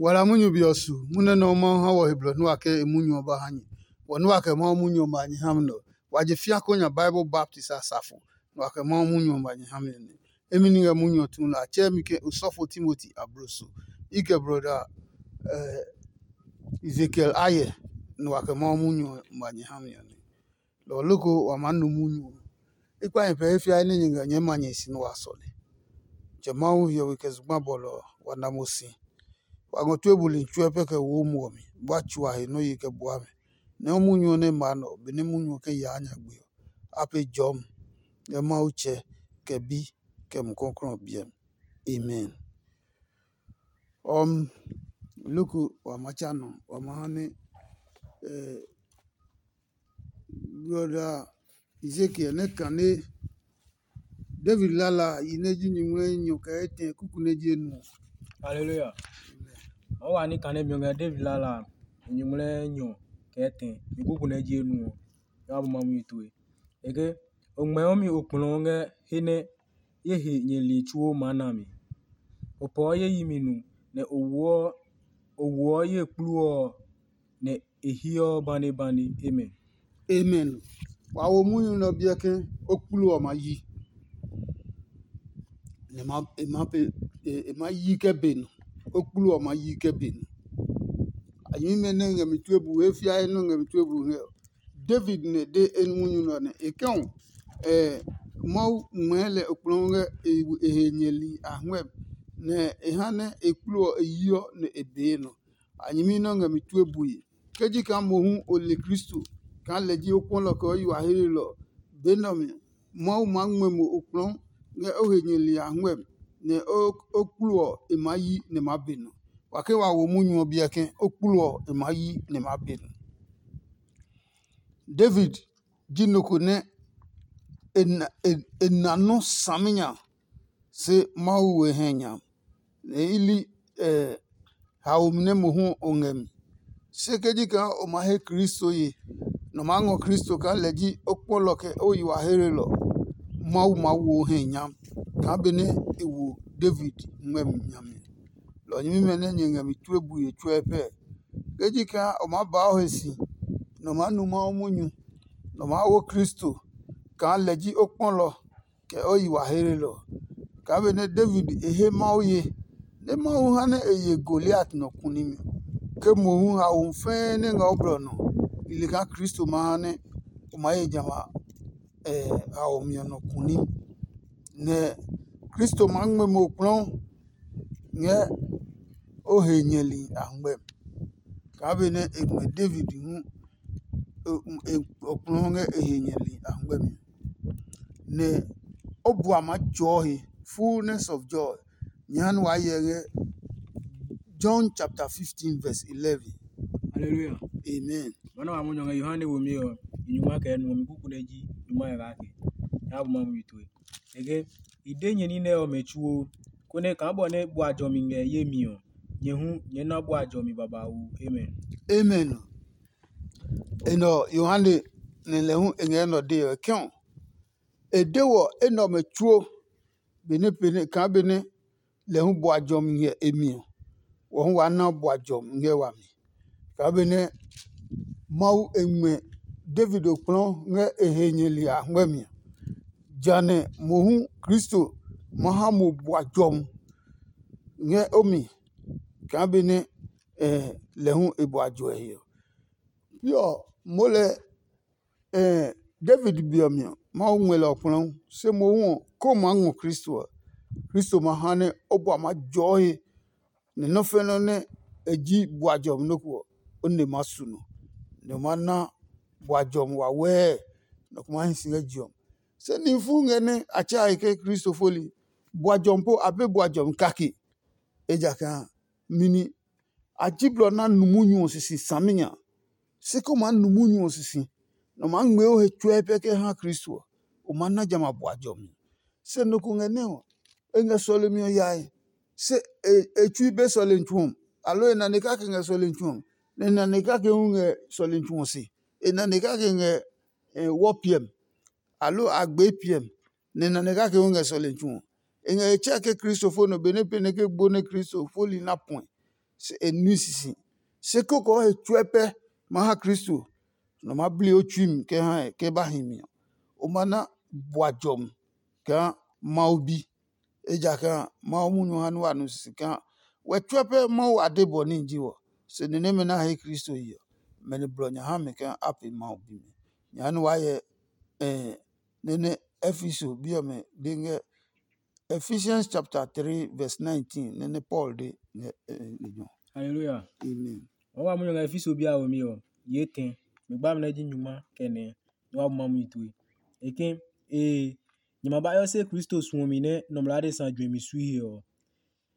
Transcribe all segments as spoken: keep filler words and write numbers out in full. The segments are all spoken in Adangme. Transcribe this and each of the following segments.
Wala munyu be ɔ su, munyu nɛ Mawu ha wɔ he blɔ nua ke e munyu ɔ ba ha nyɛ. Wɔ nua kɛ Mawu munyu ɔ ma nyɛ ha mi nɛ ɔ, wa je fia ko nya Bible baptist a safo, nua kɛ Mawu munyu ɔ ma nyɛ ha mi nɛ. Emi ni ngɛ munyu ɔ tu nɛ a tsɛɛ mi ke osɔfo Timoti abloso. I kɛ broda Ezekiel Aye, nua kɛ Mawu munyu ɔ ma nyɛ ha mi ɔ nɛ. Lɔ ɔ loko wa maa nu munyu ɔ. I kpa nyɛ pɛ he fiae nɛ nyɛ ngɛ nyɛɛ ma nyɛ si nɛ wa sɔle. Tsɛ Mawu hiɔwe kɛ zugba bɔlɔ ɔ, wa na mo si. Wa ngɔ tue buli tsuɛ pɛ kɛ wo muɔ mi, bua tsua he nɔ́ ye kɛ bua mi. Nɛ o munyu ɔ nɛ ma nɛ ɔ, benɛ munyu ɔ kɛ yaa nyagbe ɔ, a pee jɔmi ngɛ Mawu Tsɛ, kɛ Bi, kɛ Mumi Klɔuklɔu ɔ biɛ mi. Amen. Ɔm, loko wa ma tsa nɔ, wa ma ha nɛ Brɔda Ezekiel nɛ kane David lala a yi nɛ ji nyumu nɛ enyɔ kɛ etɛ kuku nɛ ji enu ɔ. Haleluya. Mawu wa ní kane mi ɔ ngɛ David lala a, nyumu nɛ enyɔ kɛ etɛ mi kuku nɛ ji enu ɔ. Nyɛ wa bu ma mumi tue. Eke, o ngmɛɔ mi okplɔɔ ngɛ he nɛ ye he nyɛli tsuo maa na mi. O pɔɔ ye yi mi nu, nɛ o woɔ o woɔ ye kplu ɔ nɛ e hiɔ banebane. Amen. Amen. Wa wo munyu nɛ ɔ biɛ ke o kplu ɔ ma yi. Nɛ ma e ma pe e e ma yi kɛ be nɔ. O kplu ɔ ma yi kɛ be nɔ. A nyɛmimɛ nɛ ngɛ mi tue bu he fiae nɔ ngɛ mi tue bu he ɔ. David nɛ de e munyu nɛ ɔ nɛ e kɛ ɔ, Mawu ngmɛɛ lɛ okplɔɔ ngɛ e he nyɛli a huɛ, nɛ e ha nɛ e kplu ɔ e yiɔ nɛ e bee nɔ. A nyɛmi nɛ ɔ ngɛ mi tue bue. Ke ji kaa mohu o le Kristo kaa lɛ ji o kpɔlɔ kɛ o yi wa heelelɔ ɔ, be nɛ ɔ mi ɔ, Mawu maa ngmɛ mo okplɔɔ ngɛ o he nyɛli a huɛ, nɛ o kplu ɔ e maa yi nɛ e maa be nɔ. Wa ke wa wo munyu ɔ biɛ ke o kplu ɔ e maa yi nɛ e maa be nɔ. David ji nɔ ko nɛ e na nɔ́ saminya, se Mawu we hɛ nya, nɛ i li haomi nɛ mohu o ngɛ mi. Se ke ji kaa o ma he Kristo ye, nɔ maa ngɔ Kristo kaa lɛ ji o kpɔlɔ kɛ o yi wa heelelɔ, Mawu maa wo o hɛ nya kaa benɛ e wo David ngmɛmi nya mi. Lɔ ɔ nyɛmimɛ nɛ nyɛ ngɛ mi tue bue tsuɛ pɛɛ. Ke ji kaa o maa baa o he si, nɔ maa nu Mawu munyu, nɔ maa wo Kristo kaa lɛ ji o kpɔlɔ kɛ o yi wa heelelɔ ɔ. Kaa benɛ David e he Mawu ye, nɛ Mawu ha nɛ e ye Goliat nɔ kunimi, ke mohu haomi fɛɛ nɛ ngɛ o blɔ nɔ, i le kaa Kristo ma ha nɛ o maa ye jamɛ a haomi ɔ nɔ kuni, nɛ Kristo maa ngmɛ mo kplɔɔ ngɛ o he nyɛli a ngmɛ mi. Kaa benɛ e ngmɛ David hu okplɔɔ ngɛ e he nyɛli a ngmɛ mi, nɛ o bua maa tsɔɔ he, fullness of joy. Nyɛ ha nɛ waa hyɛ ngɛ John chapter fifteen verse eleven. Hallelujah. Amen. Bɔnɛ wa munyu ngɛ Yohane womi ɔ, i nyuma kɛ nuɔmi kuku nɛ ji nyuma ngɛ kake. Nya bu ma mu yi tue. Ege, i de nyɛ ní nɛ ɔmɛ tsuo, konɛ kaa bɔ nɛ bua jɔmi ngɛ ye mi ɔ, nyɛ hu nyɛ na bua jɔmi babauu. Amen. Amen. Enɛ ɔ, Yohane nɛ lɛ hu e ngɛ enɛ ɔ dee ɔ, e kɛ ɔ, e de wɔ enɛ ɔmɛ tsuo benɛ benɛ kaa benɛ lɛ hu bua jɔmi ngɛ e mi ɔ, wɔ hu waa na bua jɔmi ngɛ wami. Kaa benɛ Mawu e ngmɛ David okplɔɔ ngɛ e he nyɛli a ngmɛmi ɔ, janɛ mohu Kristo ma ha mo bua jɔmi ngɛ o mi kaa benɛ lɛ hu e bua jɔe he ɔ. Pi ɔ, moo lɛ David bi ɔ mi ɔ, Mawu ngmɛ lɛ ɔ kplɔɔ, se mohu ɔ, ko maa ngɔ Kristo ɔ, Kristo ma ha nɛ o bua maa jɔɔ he, nɛ nɔ́ fɛnɛ nɛ e ji bua jɔmi nɔ́ ko ɔ, o nɛ ma su nɔ, nɛ o ma na bua jɔmi wawɛɛ, nɔ ko maa hi si ngɛ je ɔ mi. Se nihi fuu ngɛ nɛ a tsa e ke Kristo foli, bua jɔmi po a be bua jɔmi kake. Ejakaa a, mi ni a ji blɔ nɛ a nu munyu ɔ sisi saminya. Se ke o maa nu munyu ɔ sisi, nɛ o maa ngmɛɛ o he tsuɛ pɛ kɛ ha Kristo ɔ, o maa na jamɛ a bua jɔmi. Se nɔ ko ngɛ nɛ ɔ, e ngɛ sɔlemi ɔ yae, se e tsui be sɔlemi tsu ɔ, aloo e nane kake ngɛ sɔlemi tsu ɔ, nɛ e nane kake hu ngɛ sɔlemi tsu ɔ se. E nane kake ngɛ wɔ piɛmi, aloo a gbee piɛmi, nɛ e nane kake hu ngɛ sɔlemi tsu ɔ. E ngɛ e tsɛ ke Kristo fo nɔ benɛ pɛnɛ ke gbo nɛ Kristo foli na puɛ. se e nui sisi. Se kókoo he tsuɛ pɛ ma ha Kristo, nɔ ma bli o tsui mi kɛ ha ɛ ke ba hi mi ɔ, o ma na bua jɔmi kaa Mawu bi. Ejakaa Mawu munyu ha nɛ wa nu sisi kaa wɛ tsuɛ pɛ Mawu ade bɔ níhi ji wɔ, se ni nɛmɛ nɛ a he Kristo yi ɔ, mɛ ni blɔ nya ha mi kaa a pee Mawu bimi. Nya nɛ wa hyɛ eh, nɛ nɛ Efeso bi ɔmɛ de ngɛ Ephesians chapter three verse nineteen nɛ nɛ Paul de ngɛ eh, lejɛ ɔ. Hallelujah. Amen. Wa wa munyu ngɛ Efeso bi a womi ɔ, ye tɛ. Mi gba mi nɛ ji nyuma kɛ nɛ, nɛ wa bu ma munyu tue. E ke, ee, nyɛ ma ba yɔ se Kristo suɔmi nɛ nɔmlɔ adesa juɛmi sui he ɔ,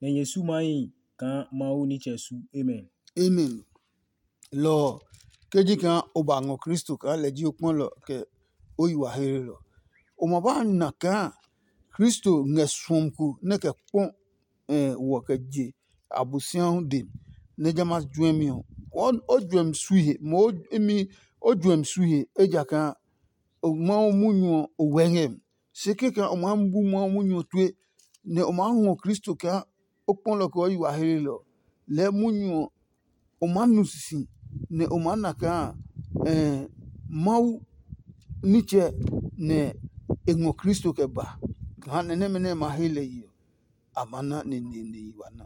nɛ nyɛ su mahi kaa Mawu nitsɛ su. Amen. Amen. Lɔ ɔ, ke ji kaa o ba ngɔ Kristo kaa lɛ ji o kpɔlɔ kɛ o yi wa heere lɔ, o ma ba na kaa Kristo ngɛ suɔmi ko nɛ kɛ kpɔ wɔ kɛ je Abosiahu dɛ mi, nɛ jamɛ a juɛmi ɔ, o juɛmi sui he, mo imi o juɛmi sui he, ejakaa Mawu munyu ɔ o wɛ ngɛ mi. Se kɛkɛ o maa bu Mawu munyu ɔ tue, nɛ o maa ngɔ Kristo kaa o kpɔlɔ kɛ o yi wa heelelɔ. Lɛɛ munyu ɔ, o maa nu sisi, nɛ o maa na kaa Mawu nitsɛ nɛ e ngɔ Kristo kɛ ba. Kaa nɛ nɛmɛ nɛ e ma he lɛ yi ɔ, a ma na neneene yi wa na.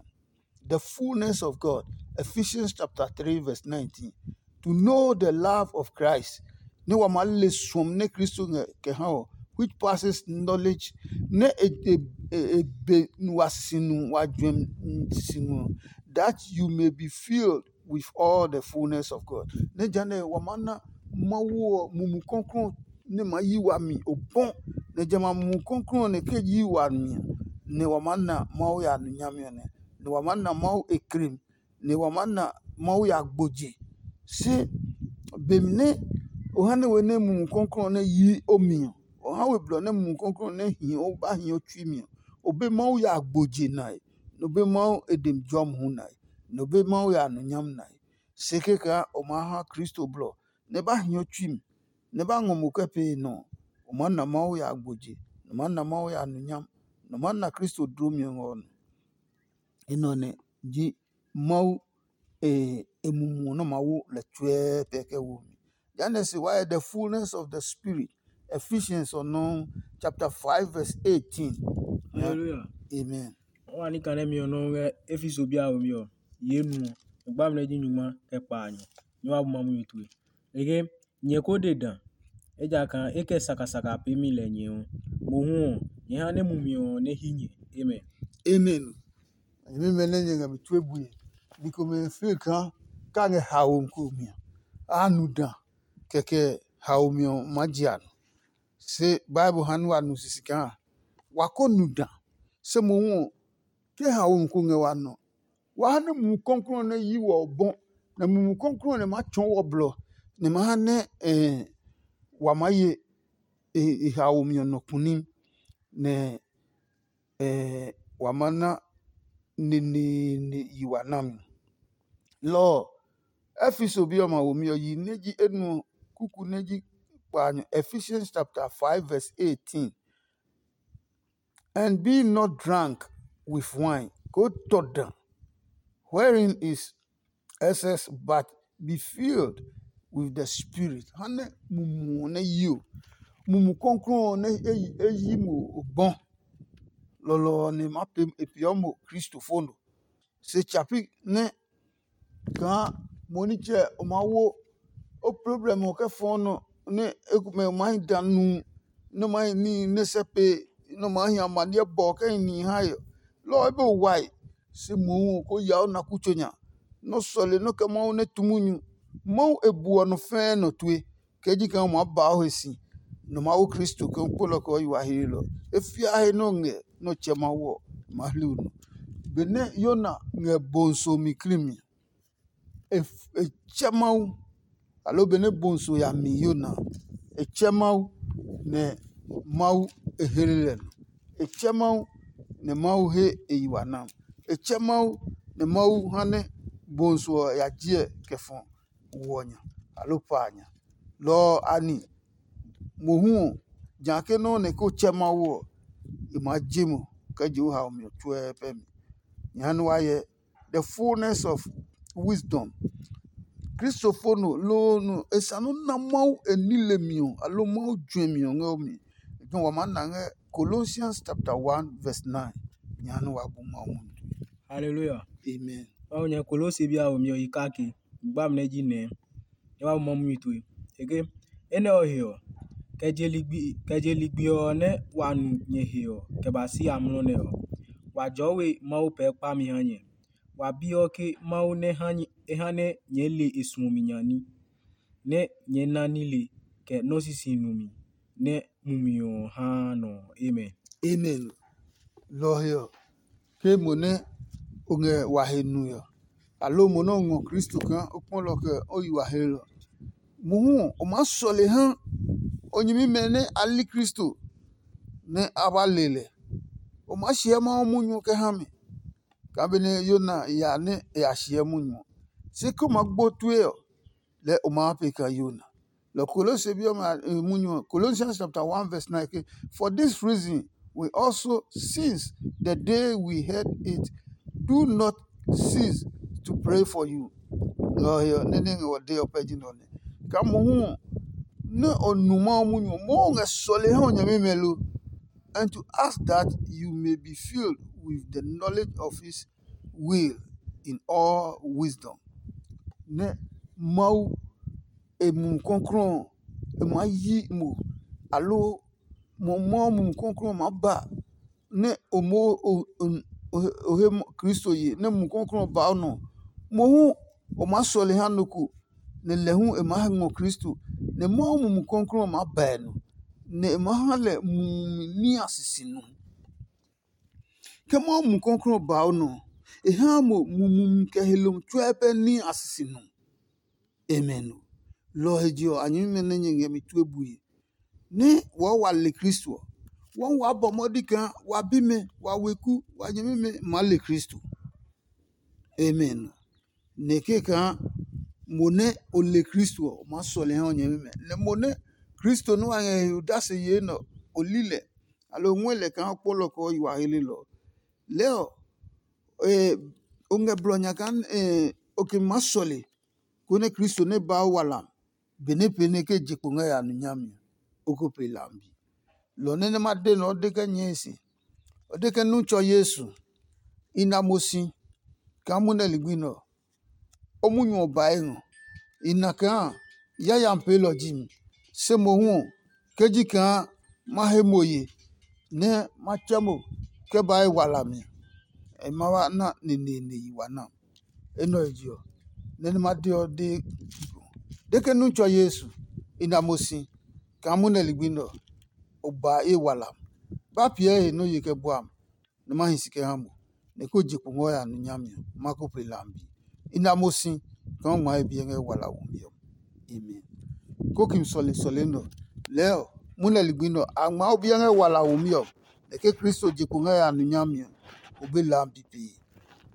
The fullness of God. Ephesians chapter three verse nineteen. To know the love of Christ. Ne wa ma le suɔm nɛ Kristo ngɛ kɛ ha ɔ, which passes knowledge, nɛ e e e e be wa sisi nu wa juɛm sisi nu, that you may be filled with all the fullness of God. Nɛ jane wa ma na Mawu ɔ mumi kɔklɔ nɛ ma yi wami obɔ, nɛ jamɛ a mumi kɔklɔ ɔ nɛ ke yi wami ɔ, nɛ wa ma na Mawu ya nu nyami ɔ nɛ, nɛ wa ma na Mawu e krem, nɛ wa ma na Mawu ya gboje. Se be mi nɛ o ha nɛ we nɛ mumi kɔklɔ ɔ nɛ yi o mi ɔ, o ha we blɔ nɛ mumi kɔklɔ ɔ nɛ hi o ba hi o tsui mi ɔ, o be Mawu ya gboje nae, nɛ o be Mawu e demi jɔmi hu nae, nɛ o be Mawu ya nu nyami nae. Se kɛkaa o maa ha Kristo blɔ nɛ e ba hi o tsui mi, nɛ e ba ngɔ mo kɛ pee nɔ ɔ, o maa na Mawu ya gboje, nɛ o maa na Mawu ya nu nyami, nɛ o maa na Kristo dlomi ɔ ngɛ o nɔ. Enɛ ɔ nɛ ji Mawu e e mumi ɔ nɛ ma wo lɛ tsuɛɛ pɛ kɛ wo mi. Jehanɛ se wa hyɛ the fullness of the spirit. Ephesians ɔ nɔuu chapter five verse eighteen. Hallelujah. Amen. Wa ni kane mi ɔ nɔuu ngɛ Efeso bi a we mi ɔ, ye nu ɔ, e gba mi nɛ ji nyuma kɛ kpaanyɔ. Nyɛ wa bu ma munyu tue. Ege nyɛ ko de da, ejakaa e kɛ sakasaka peemi lɛ nyɛ ɔ. Mohu ɔ, nyɛ ha nɛ mumi ɔ nɛ hi nyɛ. Amen. Amen. Nyɛmimɛ nɛ nyɛ ngɛ mi tue bue, ni komɛ feel kaa ka ngɛ haomi ko mi a, a nu da, kɛkɛ haomi ɔ maa je a nɔ. Se Bible ha nɛ wa nu sisi kaa wa ko nu da, se mohu ɔ, ke haomi ko ngɛ wa nɔ, wa ha nɛ Mumi Klɔuklɔu ɔ nɛ yi wɔ ɔ bɔ, nɛ Mumi Klɔuklɔu ɔ nɛ maa tsɔɔ wɔ blɔ, nɛ ma ha nɛ wa maa ye e haomi ɔ nɔ kpuni, nɛ wa ma na neneene yi wa nami. Lɔ ɔ, Efeso bi ɔmɛ a womi ɔ yi nɛ ji enuɔ kuku nɛ ji kpaanyɔ. Ephesians chapter five verse eighteen. And be not drunk with wine, ko tɔ da, wherein is excess, but be filled with the Spirit. Ha nɛ mumu ɔ nɛ yi o, Mumi Klɔuklɔu ɔ nɛ e yi mo ogbɔ. Lɔlɔ ɔ nɛ ma pee e peeɔ mo Kristo fo no. Se tsa pi nɛ kaa mo nitsɛ o maa wo o problem ɔ kɛ fɔɔ nɔ nɛ ekomɛ o maa hi da nu, nɛ o maa hi níhi nɛ sɛ pe, nɛ o maa hi amaniɛ bɔ kɛ hi nihi hae ɔ. Lɔ ɔ e be o wae, se mohu ɔ ko ya o na kutso nya, nɛ o sɔle nɔ́ kɛ Mawu nɛ tu munyu. Mawu e buɔ nɔ fɛɛ nɔ tue. Kɛ ji kaa o maa ba o he si, nɔ Mawu Kristo kɛ o kpolɔ kɛ o yi wa heelɔ. E fia he nɛ o ngɛ nɛ o tsɛ Mawu ɔ, ma hli o nɔ. Benɛ Yona ngɛ bonso mi kli mi, e tsɛ Mawu, aloo benɛ bonso ya mi Yona, e tsɛ Mawu, nɛ Mawu e hle lɛ nɔ. E tsɛ Mawu, nɛ Mawu he e yi wa nam. E tsɛ Mawu, nɛ Mawu ha nɛ bonso ɔ ya jiɛ kɛ fɔ wɔ nya, aloo pa a nya. Lɔ ɔ a ni mohu ɔ, ja ke nɔ́ nɛ ko tsɛ Mawu ɔ, e maa je mo kɛ je o haomi ɔ tsuɛ pɛ mi. Nyɛ ha nɛ wa hyɛ the fullness of wisdom. Kristofano loo no e sa nɔ́ na Mawu e nile mi ɔ, aloo Mawu juɛmi ɔ ngɛ o mi. Wa maa na ngɛ Colossians chapter one verse nine. Nya nɛ wa bu Mawu munyu tue. Hallelujah. Amen. Mawu nyɛ Kolose bi a womi ɔ yi kake. Gba mi nɛ ji nɛ. Nyɛ wa bu Mawu munyu tue. Ege. Enɛ ɔ he ɔ, kɛ je ligbi kɛ je ligbi ɔ nɛ wa nu nyɛ he ɔ, kɛ ba si amlɔ nɛ ɔ, wa jɔɔ we Mawu pɛɛ kpami ha nyɛ. Wa biɔ ke Mawu nɛ ha nyɛ e ha nɛ nyɛɛ le e suɔmi nya ní, nɛ nyɛɛ na nile kɛ nɔ́ sisi numi nɛ mumi ɔ haa nɔ ɔ. Amen. Amen. Lɔ ɔ he ɔ, ke mo nɛ o ngɛ wa he nue ɔ, aloo mo nɛ o ngɔ Kristo kaa o kpɔ lɛ ɔ kɛ o yi wa hlelɔ. Mohu ɔ, o maa sɔle ha o nyɛmimɛ nɛ a li Kristo nɛ a ba le lɛ. O maa hyɛ Mawu munyu ɔ kɛ ha mi. Kaa benɛ Yona ya nɛ e ya hyɛ munyu ɔ, se ke o maa gbo tue ɔ, lɛɛ o maa pee kaa Yona. Lɔ Kolose bi ɔmɛ a- eh, munyu ɔ, Colossians chapter one verse nine ke, "For this reason we also, since the day we heard it, do not cease to pray for you." Lɔ ɔ he ɔ, nɛ nɛ ngɛ wɔ de ɔ pɛ ji nɔ nɛ. Kaa mohu ɔ, nɛ o nu Mawu munyu ɔ, Mawu ngɛ sɔle ha o nyɛmimɛ lo? And to ask that you may be filled with the knowledge of his will in all wisdom. Nɛ Mawu e Mumi Klɔuklɔu ɔ, e maa yi mo, aloo mo Mawu Mumi Klɔuklɔu ɔ maa ba nɛ o moo o o o he Kristo ye nɛ Mumi Klɔuklɔu ɔ ba o nɔ. Mohu o maa sɔle ha nɔ ko, nɛ lɛ hu e maa ngɔ Kristo, nɛ Mawu Mumi Klɔuklɔu ɔ maa ba e nɔ, nɛ e maa ha lɛ mumi ní a sisi nɔ. Ke Mawu Mumi Klɔuklɔu ɔ ba o nɔ ɔ, e haa mo mumi kɛ he lumi tsuɛ pɛ ní a sisi nɔ. Amen. Lɔ ɔ he je ɔ, a nyɛmimɛ nɛ nyɛ ngɛ mi tue bue, nɛ wɔɔ wa le Kristo ɔ, wɔɔ waa bɔ mɔdi kaa wa bimɛ, wa weku, wa nyɛmimɛ maa le Kristo. Amen. Nɛ kee kaa mo nɛ o le Kristo ɔ, o maa sɔle ha o nyɛmimɛ. Nɛ mo nɛ Kristo nɛ wa ngɛ he odase yee nɛ o li lɛ, aloo o ngɔɛ lɛ kaa o kpɔlɔ kɛ o yi wa helelɔ ɔ, lɛɛ ɔ, o ngɛ blɔ nya kaa o ke maa sɔle, konɛ Kristo nɛ ba o wa lam, benɛ pee nɛ ke je kpo ngɛ ya nu nyami ɔ, o ko pe lambi. Lɔ nɛ nɛ ma de nɛ o de kɛ nyɛe se, o de ke nu tsɔ Yesu, i na mo si kaa munɛ ligbi nɛ ɔ, o munyu ɔ bae ngɔ. I na kaa yayami peelɔ ji mi, se mohu ɔ, ke ji kaa ma he mo ye nɛ ma tsɛ mo kɛ ba e walami ɔ, e ma wa na neneene yi wa na. Enɛ ɔ he je ɔ, nɛ nɛ ma de ɔ de, de ke nu tsɔ Yesu, i na mo si kaa munɛ ligbi nɛ ɔ, o ba ye walami. Ba piɛ he nɛ o ye kɛ bua mi, nɛ ma hi si kɛ ha mo, nɛ ko je kpo ngɔ ya nu nyami ɔ, ma ko pe lambi. I na mo si kaa o ngma he biɛ ngɛ wala womi ɔ. Amen. Kokim sɔle sɔle nɛ ɔ, lɛɛ ɔ, munɛ ligbi nɛ ɔ, a ngma o biɛ ngɛ wala womi ɔ, nɛ ke Kristo je kpo ngɛ ya nu nyami ɔ, o be lambi pee.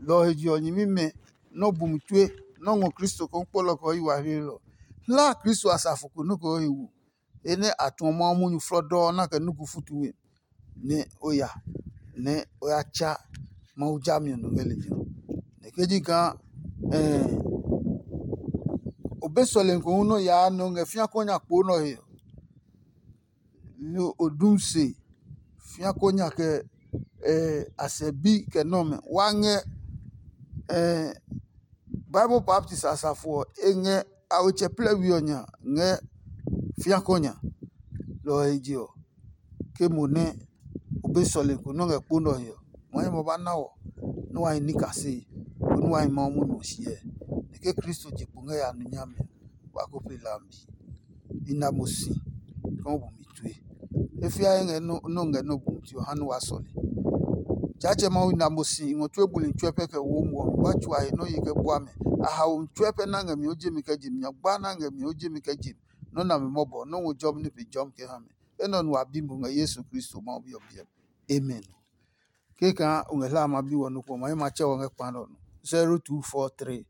Lɔ ɔ he je ɔ, nyɛmimɛ nɛ o bu mi tue nɛ o ngɔ Kristo kaa o kpɔlɔ kɛ o yi wa heelɔ. Hla Kristo asafo ko nɔ́ kɛ o he wo, he nɛ a tuɔ Mawu munyu flɔdɔɔ nɛ a kɛ nuku futu we, nɛ o ya nɛ o ya tsa Mawu jami ɔ nɔ ngɛ lejɛ ɔ. Nɛ ke ji kaa o be sɔlemi ko hu nɛ o yaa nɛ o ngɛ fĩa kɔ nya kpoo nɛ ɔ he ɔ, nɛ o dum se fĩa kɔ nya kɛ a sɛ bi kɛ nɔmɛ wa ngɛ Bible baptist asafo ɔ, e ngɛ a wetsɛ plɛ we ɔ nya ngɛ fĩa kɔ nya. Lɔ ɔ he je ɔ, ke mo nɛ o be sɔlemi ko nɛ o ngɛ kpo nɛ ɔ he ɔ, ma nyɛ ma ba na wɔ nɛ wa hi ní kasee, konɛ wa hi Mawu munyu ɔ hyɛ. Nɛ ke Kristo je kpo ngɛ ya nu nyami ɔ, wa ko pe lambi. I na mo si kaa o bu mi tue. E fiae ngɛ nɔ́ ngɛ nɔ́ bu mi tue ɔ ha nɛ wa sɔle. Tsaatsɛ Mawu, i na mo si i ngɔ tue buli tsuɛ pɛ kɛ wo mo ɔ, mi ba tsua he nɔ́ ye kɛ bua mɛ. A haomi tsuɛ pɛ nɛ a ngɛ mi o je mi kɛ je mi, nyagba nɛ a ngɛ mi o je mi kɛ je mi. Nɔ́ nami mɔbɔ, nɔ́ ngɔ jɔmi nɛ pe jɔmi kɛ ha mi. Enɛ ɔ nu a bi mo ngɛ Yesu Kristo Mawu Bi ɔ biɛ mi. Amen. Kekã o ngɛ hlaa ma bi wɔ nɔ́ kpɔ ma, e ma tsɛ wɔ ngɛ kpa nɛ ɔ nɔ. Zero two four three,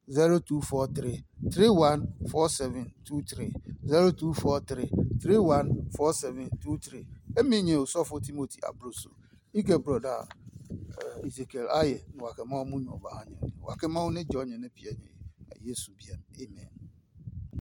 zero two four three, three one four seven two three, zero two four three, three one four seven two three. Emi nyɛ osɔfo Timoti Abroso. I kɛ brɔda Ezekiel aye, nɔ wa kɛ Mawu munyu ɔ ba ha nyɛ. Wa kɛ Mawu nɛ jɔ nyɛ nɛ piɛ nyɛ. Yesu biɛ. Amen.